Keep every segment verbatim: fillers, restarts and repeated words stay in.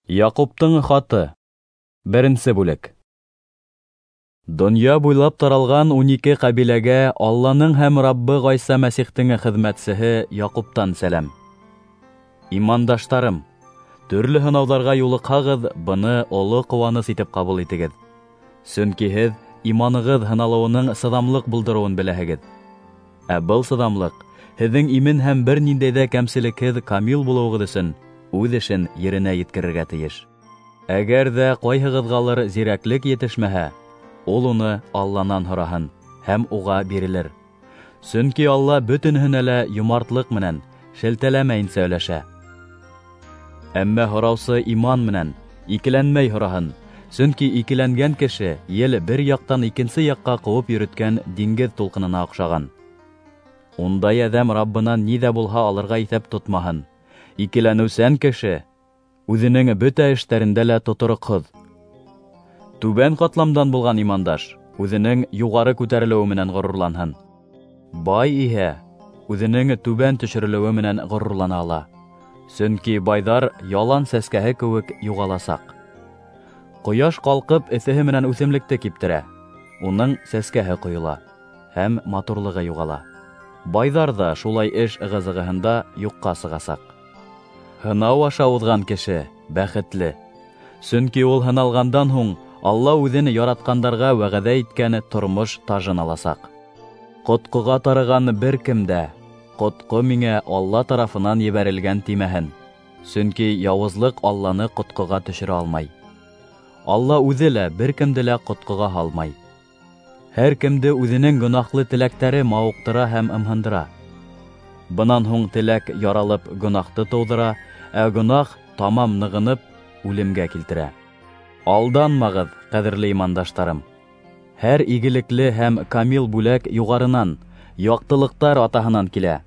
Яҡуптың хаты. Беренсе бүлек. Донъя буйлап таралған ун ике ҡәбиләгә Алланың һәм Раббы Ғайса Мәсихтең хеҙмәтсеһе Яҡуптан сәләм. Имандаштарым, төрлө һынауҙарға юлыҡһағыҙ, быны оло ҡыуаныс итеп ҡабул итегеҙ. Сөнки һеҙ иманығыҙ һыналыуының сыҙамлыҡ булдырыуын беләһегеҙ. Ә был сыҙамлыҡ һеҙҙең имен һәм бер ниндәй ҙә кәмселекһеҙ камил булыуығыҙ өсөн үҙ эшен еренә еткерергә тейеш. Әгәр ҙә ҡайһығыҙғалыр зирәклек етешмәһә, ул уны Алланан һораһын һәм уға бирелер. Сөнки Алла бөтөнһөнә лә йомартлыҡ менән, шелтәләмәйенсә өләшә. Әммә һораусы иман менән, икеләнмәй һораһын, сөнки икеләнгән кеше ел бер яҡтан икенсе яҡҡа ҡыуып йөрөткән диңгеҙ тулҡынына оҡшаған. Ундай әҙәм Раббынан ни ҙә булһа алырға иҫәп тотмаһын. Икеләнеүсән кеше үҙенең бөтә эштәрендә лә тотороҡһоҙ. Түбән ҡатламдан булған имандаш үҙенең юғары күтәрелеүе менән ғорурланһын. Бай иһә үҙенең түбән төшөрөлөүе менән ғорурлана ала. Сөнки байҙар ялан сәскәһе кеүек юғаласаҡ. Ҡояш ҡалҡып эҫеһе менән үҫемлекте киптерә. Уның сәскәһе ҡойола һәм матурлығы юғала. Байҙар ҙа шулай эш ығы-зығыһында юҡҡа сығасаҡ. Һынау аша уҙған кеше бәхетле. Сөнки ул һыналғандан һуң Алла үҙен яратҡандарға вәғәҙә иткән тормош тажын аласаҡ. Ҡотҡоға тарыған бер кем дә ҡотҡо миңә Алла тарафынан ебәрелгән тимәһен. Сөнки яуызлыҡ Алланы ҡотҡоға төшөрә алмай. Алла үҙе лә бер кемде лә ҡотҡоға һалмай. Һәр кемде үҙенең гонаһлы теләктәре мауыҡтыра һәм ымһындыра. Бынан һуң теләк яралып гонаһты тыуҙыра, ә гонаһ тамам нығынып үлемгә килтерә. Алданмағыҙ, ҡәҙерле имандаштарым. Һәр игелекле һәм камил бүләк юғарынан, яҡтылыҡтар атаһынан килә.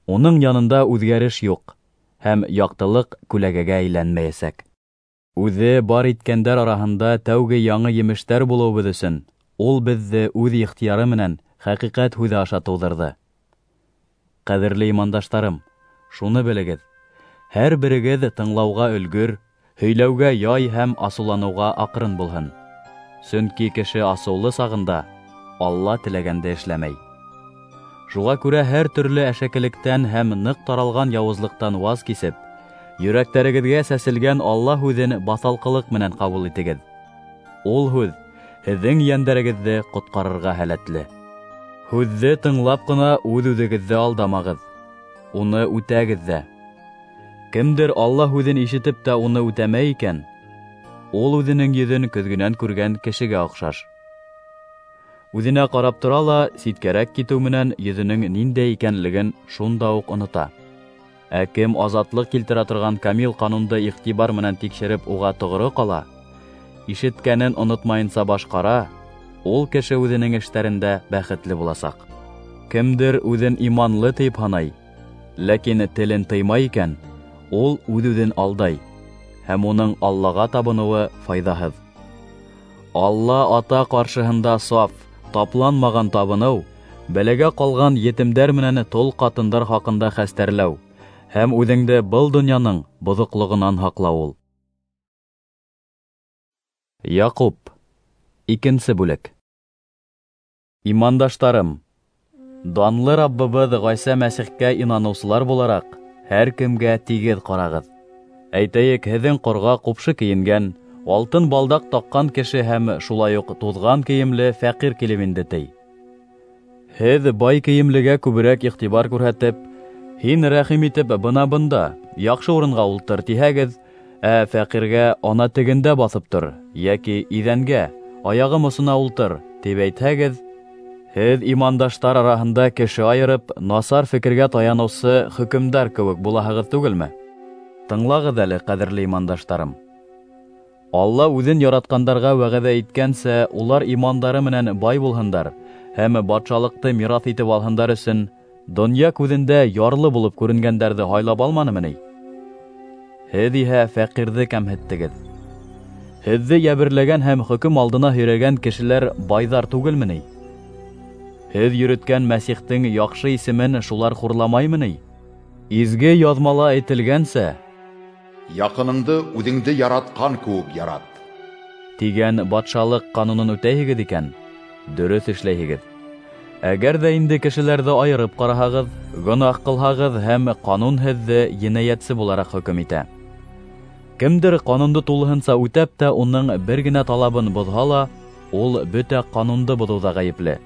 Уның янында үҙгәреш юҡ, һәм яҡтылыҡ күләгәгә әйләнмәйәсәк. Үҙе бар иткәндәр араһында тәүге яңы емештәр булыуыбыҙ өсөн ул беҙҙе үҙ ихтыяры менән хәҡиҡәт һүҙе аша тыуҙырҙы. Ҡәҙерле имандаштарым, шуны белегеҙ: һәр берегеҙ тыңлауға өлгөр, һөйләүгә яй һәм асыуланыуға аҡрын булһын. Сөнки кеше асыулы сағында Алла теләгәнде эшләмәй. Шуға күрә һәр төрлө әшәкелектән һәм ныҡ таралған яуызлыҡтан ваз кисеп, йөрәктәрегеҙгә сәселгән Алла һүҙен баҫалҡылыҡ менән ҡабул итегеҙ. Ул һүҙ һеҙҙең йәндәрегеҙҙе ҡотҡарырға һәләтле. Һүҙҙе тыңлап ҡына үҙ-үҙегеҙҙе алдамағыҙ, уны үтәгеҙ ҙә. Кемдер Алла һүҙен ишетеп тә уны үтәмәй икән, ул үҙенең йөҙөн көҙгөнән күргән кешегә оҡшаш. Үҙенә ҡарап тора ла, ситкәрәк китеү менән йөҙөнөң ниндәй икәнлеген шунда уҡ онота. Ә кем азатлыҡ килтерә торған камил ҡанунды иғтибар менән тикшереп уға тоғро ҡала, ишеткәнен онотмайынса башҡара, ул кеше үҙенең эштәрендә бәхетле буласаҡ. Кемдер үҙен иманлы тип һанай, ләкин телен тыймай икән, ул үҙ-үҙен алдай, һәм уның Аллаға табыныуы файҙаһыҙ. Алла ата ҡаршыһында саф, тапланмаған табыныу, бәләгә ҡалған етемдәр менән тол ҡатындар хаҡында хәстәрләү һәм үҙеңде был донъяның боҙоҡлоғонан һаҡлау ул. Яҡуп, икенсе бүлек. Имандаштарым, данлы Раббыбыҙ Ғайса Мәсихкә инаныусылар булараҡ, һәр кемгә тигеҙ ҡарағыҙ. Әйтәйек, һеҙҙең ҡорға ҡупшы кейенгән, алтын балдаҡ таҡҡан кеше һәм шулай уҡ туҙған кейемле фәҡир килеп инде ти. Һеҙ бай кейемлегә күберәк иғтибар күрһәтеп, һин рәхим итеп бына бында, яҡшы урынға ултыр тиһәгеҙ, ә фәҡиргә ана тегендә баҫып тор, йәки иҙәнгә, аяғым осона ултыр, тип әйтһәгеҙ, һеҙ имандаштар араһында кеше айырып, насар фекергә таяныусы хөкөмдар кеүек булаһығыҙ түгелме? Тыңлағыҙ әле, ҡәҙерле имандаштарым. Алла үҙен яратҡандарға вәғәҙә иткәнсә, улар имандары менән бай булһындар һәм батшалыҡты мираҫ итеп алһындар өсөн донъя күҙендә ярлы булып күренгәндәрҙе һайлап алманымы ни? Һеҙ иһә фәҡирҙе кәмһеттегеҙ. Һеҙҙе йәберләгән һәм хөкөм алдына һөйрәгән кешеләр байҙар түгелме ни? Һеҙ йөрөткән Мәсихтең яҡшы исемен шулар хурламаймы ни? Изге яҙмала әйтелгәнсә, Яҡыныңды үҙеңде яратҡан кеүек ярат тигән батшалыҡ ҡанунын үтәйһегеҙ икән, дөрөҫ эшләйһегеҙ. Әгәр ҙә инде кешеләрҙе айырып ҡараһағыҙ, гонаһ ҡылһағыҙ һәм ҡанун һеҙҙе енәйәтсе булараҡ хөкөм итә. Кемдер ҡанунды тулыһынса үтәп тә уның бер генә талабын боҙһа ла, ул бөтә ҡанунды боҙоуҙа ғәйепле.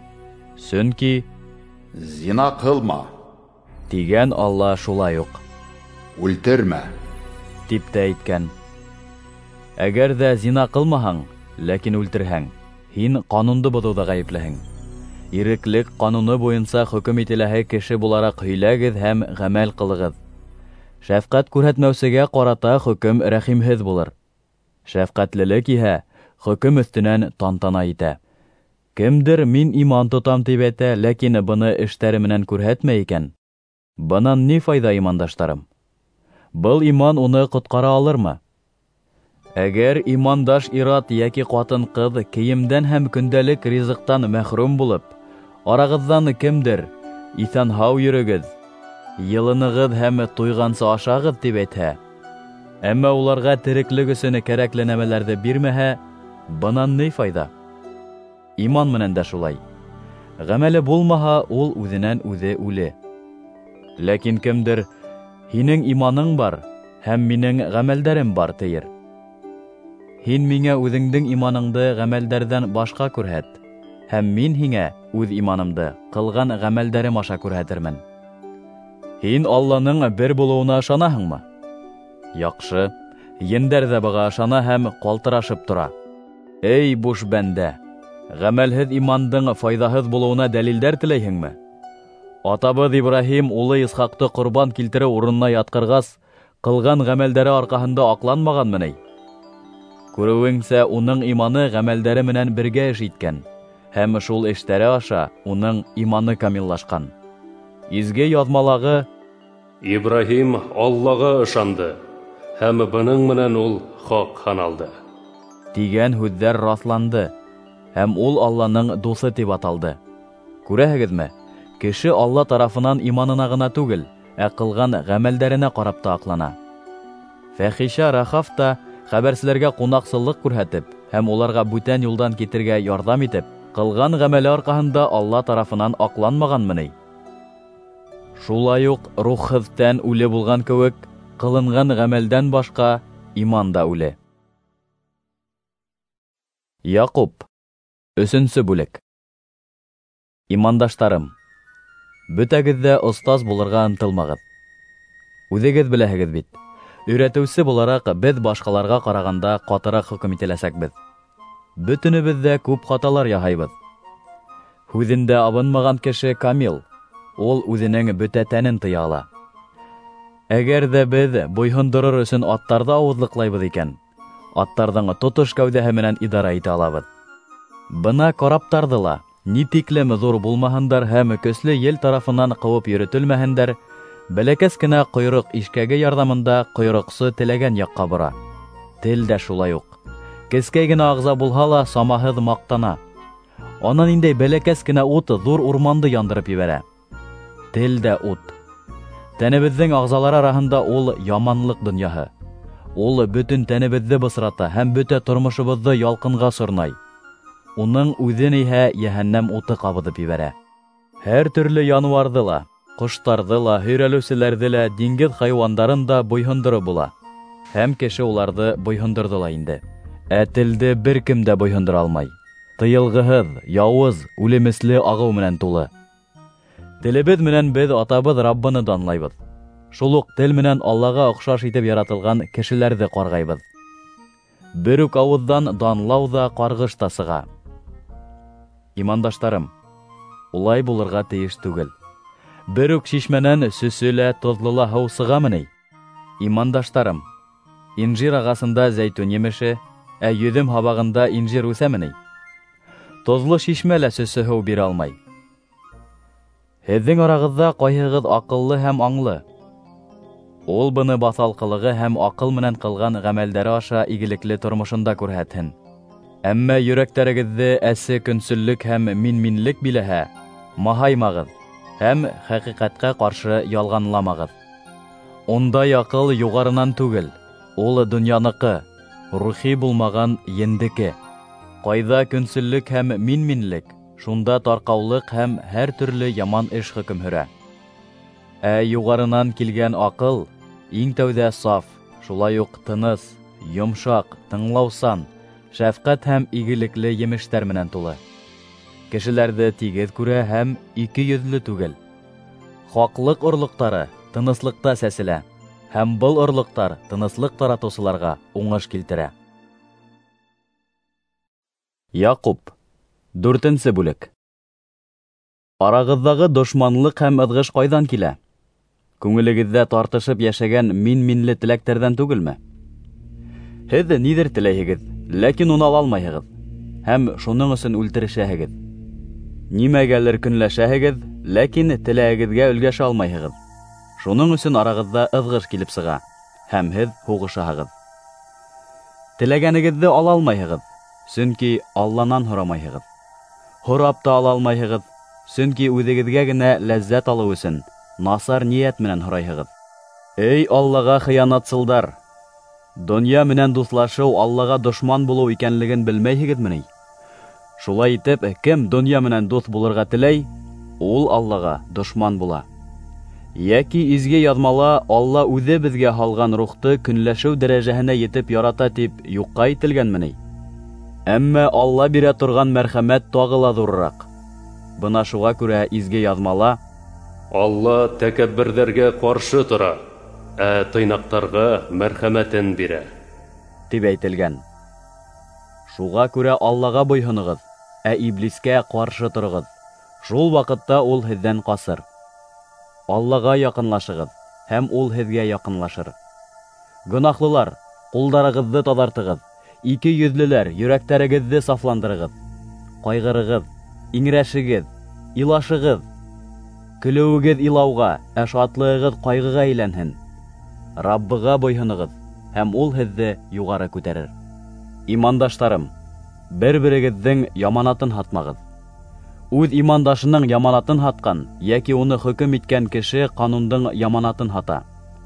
Сөнки «Зина ҡылма» тигән Алла шулай уҡ «Үлтермә» тип тә әйткән. Әгәр ҙә зина ҡылмаһаң, ләкин үлтерһәң, һин ҡанунды боҙоуҙа ғәйеплеһең. Иреклек ҡануны буйынса хөкөм ителәһе кеше булараҡ һөйләгеҙ һәм ғәмәл ҡылығыҙ. Шәфҡәт күрһәтмәүсегә ҡарата хөкөм рәхимһеҙ булыр. Шәфҡәтлелек иһә хөкөм өҫтөнән тантана итә. Кемдер мин иман тотам тип әйтә, ләкин быны эштәре менән күрһәтмәй икән, бынан ни файҙа, имандаштарым? Был иман уны ҡотҡара алырмы? Әгәр имандаш ир-ат йәки ҡатын-ҡыҙ кейемдән һәм көндәлек ризыҡтан мәхрүм булып, арағыҙҙан кемдер иҫән-һау йөрөгөҙ, йылынығыҙ һәм туйғансы ашағыҙ тип әйтһә, әммә уларға тереклек өсөн кәрәкле нәмәләрҙе бирмәһә, бынан ни файҙа? Иман менән дә шулай. Ғәмәле булмаһа, ул үҙенән үҙе үле. Ләкин кемдер һинең иманың бар һәм минең ғәмәлдәрем бар тиер. Һин миңә үҙеңдең иманыңды ғәмәлдәрҙән башҡа күрһәт, һәм мин һиңә үҙ иманымды ҡылған ғәмәлдәрем аша күрһәтермен. Һин Алланың бер булыуына ышанаһыңмы? Яҡшы, ендәр ҙә быға ышана һәм ҡалтырашып тора. Эй, буш бәндә, ғәмәлһеҙ имандың файҙаһыҙ булыуына дәлилдәр теләйһеңме? Атабыҙ Ибраһим улы Исхаҡты ҡорбан килтереү урынына ятҡырғас, ҡылған ғәмәлдәре арҡаһында аҡланмағанмы ни? Күреүеңсә, уның иманы ғәмәлдәре менән бергә эш иткән, һәм шул эштәре аша уның иманы камиллашҡан. Изге яҙмалағы Ибраһим Аллаға ышанды, һәм бының менән ул хаҡ һаналды тигән һүҙҙәр раҫланды, һәм ул Алланың дуҫы тип аталды. Күрәһегеҙме? Кеше Алла тарафынан иманына ғына түгел, ә ҡылған ғәмәлдәренә ҡарап та аҡлана. Фәхишә Рахав та хәбәрселәргә ҡунаҡсыллыҡ күрһәтеп һәм уларға бүтән юлдан китергә ярҙам итеп, ҡылған ғәмәле арҡаһында Алла тарафынан аҡланмағанмы ни? Шулай уҡ рухһыҙ тән үле булған кеүек, ҡылынған ғәмәлдән башҡа иман да үле. Яҡуп, өсөнсө бүлек. Имандаштарым, бөтәгеҙ ҙә остаз булырға ынтылмағыҙ. Үҙегеҙ беләһегеҙ бит, өйрәтеүсе булараҡ беҙ башҡаларға ҡарағанда ҡатыраҡ хөкөм ителәсәкбеҙ. Бөтөнөбөҙ ҙә күп хаталар яһайбыҙ. Һүҙендә абынмаған кеше камил, ул үҙенең бөтә тәнен тыя ала. Әгәр ҙә беҙ буйһондорор өсөн аттарҙы ауыҙлыҡлайбыҙ икән, аттарҙың тотош кәүҙәһе менән идара итә алабыҙ. Бына караптарҙы ла, ни тиклем ҙур булмаһындар һәм көслө ел тарафынан ҡыуып йөрөтөлмәһендәр, бәләкәс кенә ҡойроҡ ишкәге ярҙамында ҡойроҡсо теләгән яҡҡа бора. Тел дә шулай уҡ. Кескәй генә ағза булһа ла самаһыҙ маҡтана. Ана ниндәй бәләкәс кенә ут ҙур урманды яндырып ебәрә. Тел дә ут. Тәнебеҙҙең ағзалары араһында ул яманлыҡ донъяһы. Ул бөтөн тәнебеҙҙе бысрата һәм бөтә тормошобоҙҙо ялҡынға сорнай. Уның үҙен иһә йәһәннәм уты ҡабыҙып ебәрә. Һәр төрлө януарҙы ла, ҡоштарҙы ла, һөйрәлеүселәрҙе лә, диңгеҙ хайуандарын да буйһондороп була. Һәм кеше уларҙы буйһондорҙо ла инде. Ә телде бер кем дә буйһондора алмай. Тыйылғыһыҙ, яуыз, үлемесле ағыу менән тулы. Телебеҙ менән беҙ атабыҙ Раббыны данлайбыҙ. Шул уҡ тел менән Аллаға оҡшаш итеп яратылған кешеләрҙе ҡарғайбыҙ. Бер үк ауыҙҙан данлау ҙа, ҡарғыш та сыға. Имандаштарым, улай булырға тейеш түгел. Бер үк шишмәнән сөсө лә, тоҙло ла һыу сығамы ни? Имандаштарым, инжир ағасында зәйтүн емеше, ә йөҙөм һабағында инжир үҫәме ни? Тоҙло шишмә лә сөсө һыу бирә алмай. Һеҙҙең арағыҙҙа ҡайһығыҙ аҡыллы һәм аңлы? Ул быны баҫалҡылығы һәм аҡыл менән ҡылған ғәмәлдәре аша игелекле тормошонда күрһәтһен. Әммә йөрәктәрегеҙҙе әсе көнсөллөк һәм мин-минлек биләһә, маһаймағыҙ һәм хәҡиҡәткә ҡаршы ялғанламағыҙ. Ундай аҡыл юғарынан түгел, ул донъяныҡы, рухи булмаған ендеке. Ҡайҙа көнсөллөк һәм мин-минлек, шунда тарҡаулыҡ һәм һәр төрлө яман эш хөкөм һөрә. Ә юғарынан килгән аҡыл иң тәүҙә саф, шулай уҡ тыныс, йомшаҡ, тыңлаусан, шәфҡәт һәм игелекле емештәр менән тулы. Кешеләрҙе тигеҙ күрә һәм ике йөҙлө түгел. Хаҡлыҡ орлоҡтары тыныслыҡта сәселә, һәм был орлоҡтар тыныслыҡ таратыусыларға уңыш килтерә. Яҡуп, дүртенсе бүлек. Арағыҙҙағы дошманлыҡ һәм ыҙғыш ҡайҙан килә? Күңелегеҙҙә тартышып йәшәгән мин-минле теләктәрҙән түгелме? Һеҙ ниҙер теләйһегеҙ, ләкин уны ала алмайһығыҙ, һәм шуның өсөн үлтерешәһегеҙ. Нимәгәлер көнләшәһегеҙ, ләкин теләгегеҙгә өлгәшә алмайһығыҙ. Шуның өсөн арағыҙҙа ыҙғыш килеп сыға, һәм һеҙ һуғышаһығыҙ. Теләгәнегеҙҙе ала алмайһығыҙ, сөнки Алланан һорамайһығыҙ. Һорап та ала алмайһығыҙ, сөнки үҙегеҙгә генә ләззәт алыу өсөн насар ниәт менән һорайһығыҙ. Эй Аллаға хыянатсылдар! Донъя менән дуҫлашыу Аллаға дошман булыу икәнлеген белмәйһегеҙме ни? Шулай итеп, кем донъя менән дуҫ булырға теләй, ул Аллаға дошман була. Йәки изге яҙмала Алла үҙе беҙгә һалған рухты көнләшеү дәрәжәһенә етеп ярата тип юҡҡа әйтелгәнме ни? Әммә Алла бирә торған мәрхәмәт тағы ла ҙурыраҡ. Бына шуға күрә изге яҙмала: Алла тәкәбберҙәргә ҡаршы тора, ә тыйнаҡтарға мәрхәмәтен бирә, тип әйтелгән. Шуға күрә Аллаға буйһоноғоҙ, ә иблискә ҡаршы тороғоҙ. Шул ваҡытта ул һеҙҙән ҡасыр. Аллаға яҡынлашығыҙ, һәм ул һеҙгә яҡынлашыр. Гонаһлылар, ҡулдарығыҙҙы таҙартығыҙ, ике йөҙлөләр, йөрәктәрегеҙҙе сафландырығыҙ. Ҡайғырығыҙ, иңрәшегеҙ, илашығыҙ. Көлөүегеҙ илауға, ә шатлығығыҙ ҡайғыға әйләнһен. Раббыға буйһоноғоҙ, һәм ул һеҙҙе юғары күтәрер. Имандаштарым, бер-берегеҙҙең яманатын һатмағыҙ. Үҙ имандашының яманатын һатҡан йәки уны хөкөм иткән кеше ҡанундың яманатын һата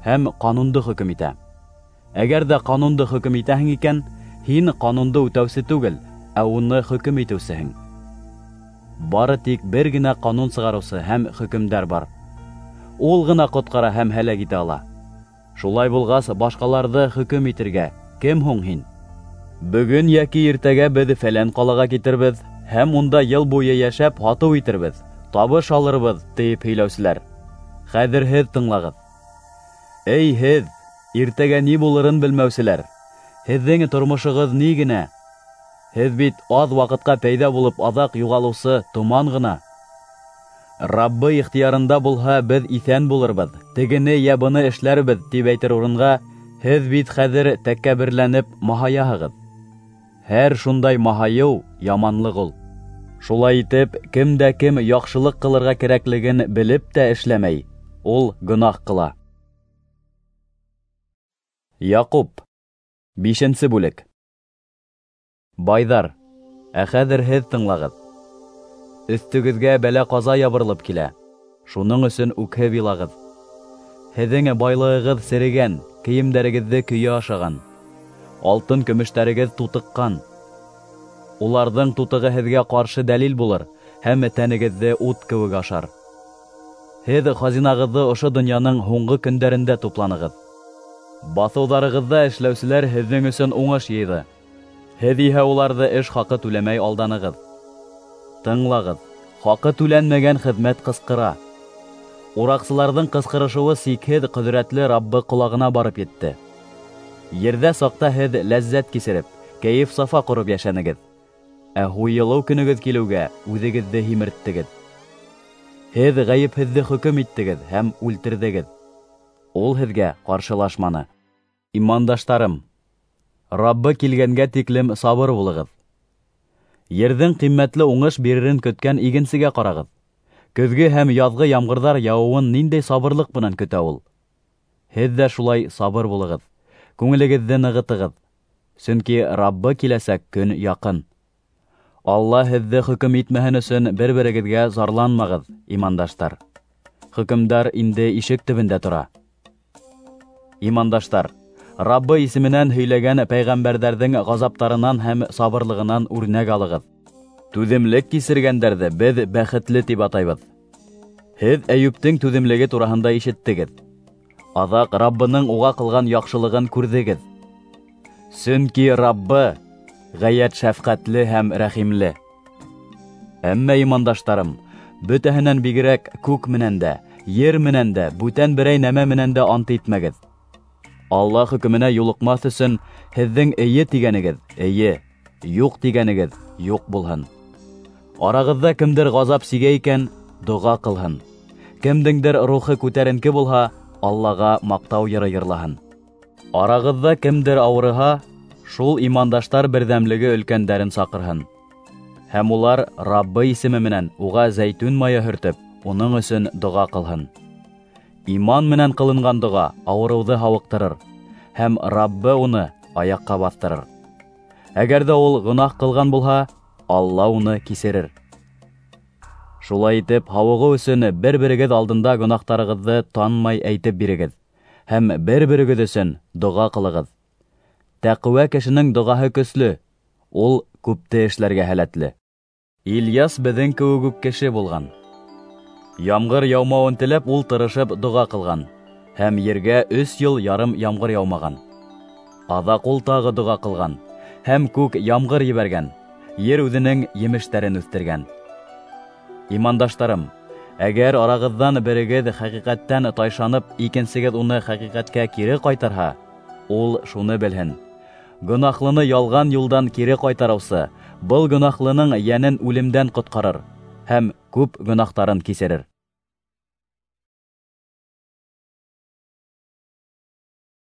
һәм ҡанунды хөкөм итә. Әгәр ҙә ҡанунды хөкөм итәһең икән, һин ҡанунды үтәүсе түгел, ә уны хөкөм итеүсеһең. Бары тик бер генә ҡанун сығарыусы һәм хөкөмдар бар. Ул ғына ҡотҡара һәм һәләк итә ала. Шулай булғас, башҡаларҙы хөкөм итергә кем һуң һин? Бөгөн йәки иртәгә беҙ фәлән ҡалаға китербеҙ һәм унда йыл буйы йәшәп һатыу итербеҙ, табыш алырбыҙ, тип һөйләүселәр. Хәҙер һеҙ тыңлағыҙ. Эй һеҙ, иртәгә ни булырын белмәүселәр! Һеҙҙең тормошоғоҙ ни генә? Һеҙ бит аҙ ваҡытҡа пәйҙә булып аҙаҡ юғалыусы томан ғына. Раббы ихтыярында булһа, беҙ иҫән булырбыҙ, тегене йә быны эшләрбеҙ, тип әйтер урынға, һеҙ бит хәҙер тәкәбберләнеп маһаяһығыҙ. Һәр шундай маһайыу яманлыҡ ул. Шулай итеп, кем дә кем яҡшылыҡ ҡылырға кәрәклеген белеп тә эшләмәй, ул гонаһ ҡыла. Яҡуп, бишенсе бүлек. Байҙар, ә хәҙер һеҙ тыңлағыҙ. Өҫтөгөҙгә бәлә-ҡаза ябырылып килә, шуның өсөн үкһеп илағыҙ. Һеҙҙең байлығығыҙ серегән, кейемдәрегеҙҙе көйә ашаған, алтын көмөштәрегеҙ тутыҡҡан. Уларҙың тутығы һеҙгә ҡаршы дәлил булыр һәм тәнегеҙҙе ут кеүек ашар. Һеҙ хазинағыҙҙы ошо донъяның һуңғы көндәрендә тупланығыҙ. Баҫыуҙарығыҙҙа эшләүселәр һеҙҙең өсөн уңыш йыйҙы. Һеҙ иһә уларҙы эш хаҡы түләмәй алданығыҙ. Тыңлағыҙ, хаҡы түләнмәгән хеҙмәт ҡысҡыра. Ураҡсыларҙың ҡысҡырышыуы сикһеҙ ҡөҙрәтле Раббы ҡолағына барып етте. Ерҙә саҡта һеҙ ләззәт кисереп, кәйеф-сафа ҡороп йәшәнегеҙ. Ә һуйылыу көнөгөҙ килеүгә үҙегеҙҙе һимерттегеҙ. Һеҙ ғәйепһеҙҙе хөкөм иттегеҙ һәм үлтерҙегеҙ. Ул һеҙгә ҡаршылашманы. Имандаштарым, Раббы килгәнгә тиклем сабыр булығыҙ. Ерҙең ҡиммәтле уңыш биререн көткән игенсегә ҡарағыҙ. Көҙгө һәм яҙғы ямғырҙар яуыуын ниндәй сабырлыҡ менән көтә ул. Һеҙ ҙә шулай сабыр булығыҙ, күңелегеҙҙе нығытығыҙ, сөнки Раббы киләсәк көн яҡын. Алла һеҙҙе хөкөм итмәһен өсөн бер-берегеҙгә зарланмағыҙ, имандаштар. Хөкөмдар инде ишек төбөндә тора. Имандаштар, Раббы исеменән һөйләгән пәйғәмбәрҙәрҙең ғазаптарынан һәм сабырлығынан үрнәк алығыҙ. Түҙемлек кисергәндәрҙе беҙ бәхетле тип атайбыҙ. Һеҙ Әйүптең түҙемлеге тураһында ишеттегеҙ. Аҙаҡ Раббының уға ҡылған яҡшылығын күрҙегеҙ. Сөнки Раббы ғәйәт шәфҡәтле һәм рәхимле. Әммә имандаштарым, бөтәһенән бигерәк күк менән дә, ер менән дә, бүтән берәй нәмә менән дә ант итмәгеҙ. Аллаһ хөкөмөнә юлыҡмаҫ өсөн һеҙҙең эйе тигәнегеҙ эйе, юҡ тигәнегеҙ юҡ булһын. Арағыҙҙа кемдер ғазап сигә икән, доға ҡылһын. Кемдеңдер рухы күтәренке булһа, Аллаға маҡтау йыры йырлаһын. Арағыҙҙа кемдер ауырыһа, шул имандаштар берҙәмлеге өлкәндәрен саҡырһын. Һәм улар Раббы исеме менән уға зәйтүн майы һөртөп, уның өсөн доға ҡылһын. Иман менән ҡылынған доға ауырыуҙы һауыҡтырыр, һәм Раббы уны аяҡҡа баҫтырыр. Әгәр ҙә ул гонаһ ҡылған булһа, Алла уны кисерер. Шулай итеп, һауығыу өсөн бер-берегеҙ алдында гонаһтарығыҙҙы танмай әйтеп бирегеҙ, һәм бер-берегеҙ өсөн доға ҡылығыҙ. Тәҡүә кешенең доғаһы көслө, ул күпте эшләргә һәләтле. Ильяс беҙҙең кеүек үк кеше булған. Ямғыр яумауын теләп, ул тырышып доға ҡылған, һәм ергә өс йыл ярым ямғыр яумаған. Аҙаҡ ул тағы доға ҡылған, һәм күк ямғыр ебәргән, ер үҙенең емештәрен үҫтергән. Имандаштарым, әгәр арағыҙҙан берегеҙ хәҡиҡәттән тайшанып, икенсегеҙ уны хәҡиҡәткә кире ҡайтарһа, ул шуны белһен: гонаһлыны ялған юлдан кире ҡайтарыусы был гонаһлының йәнен үлемдән ҡотҡарыр һәм күп гонаһтарын кисерер.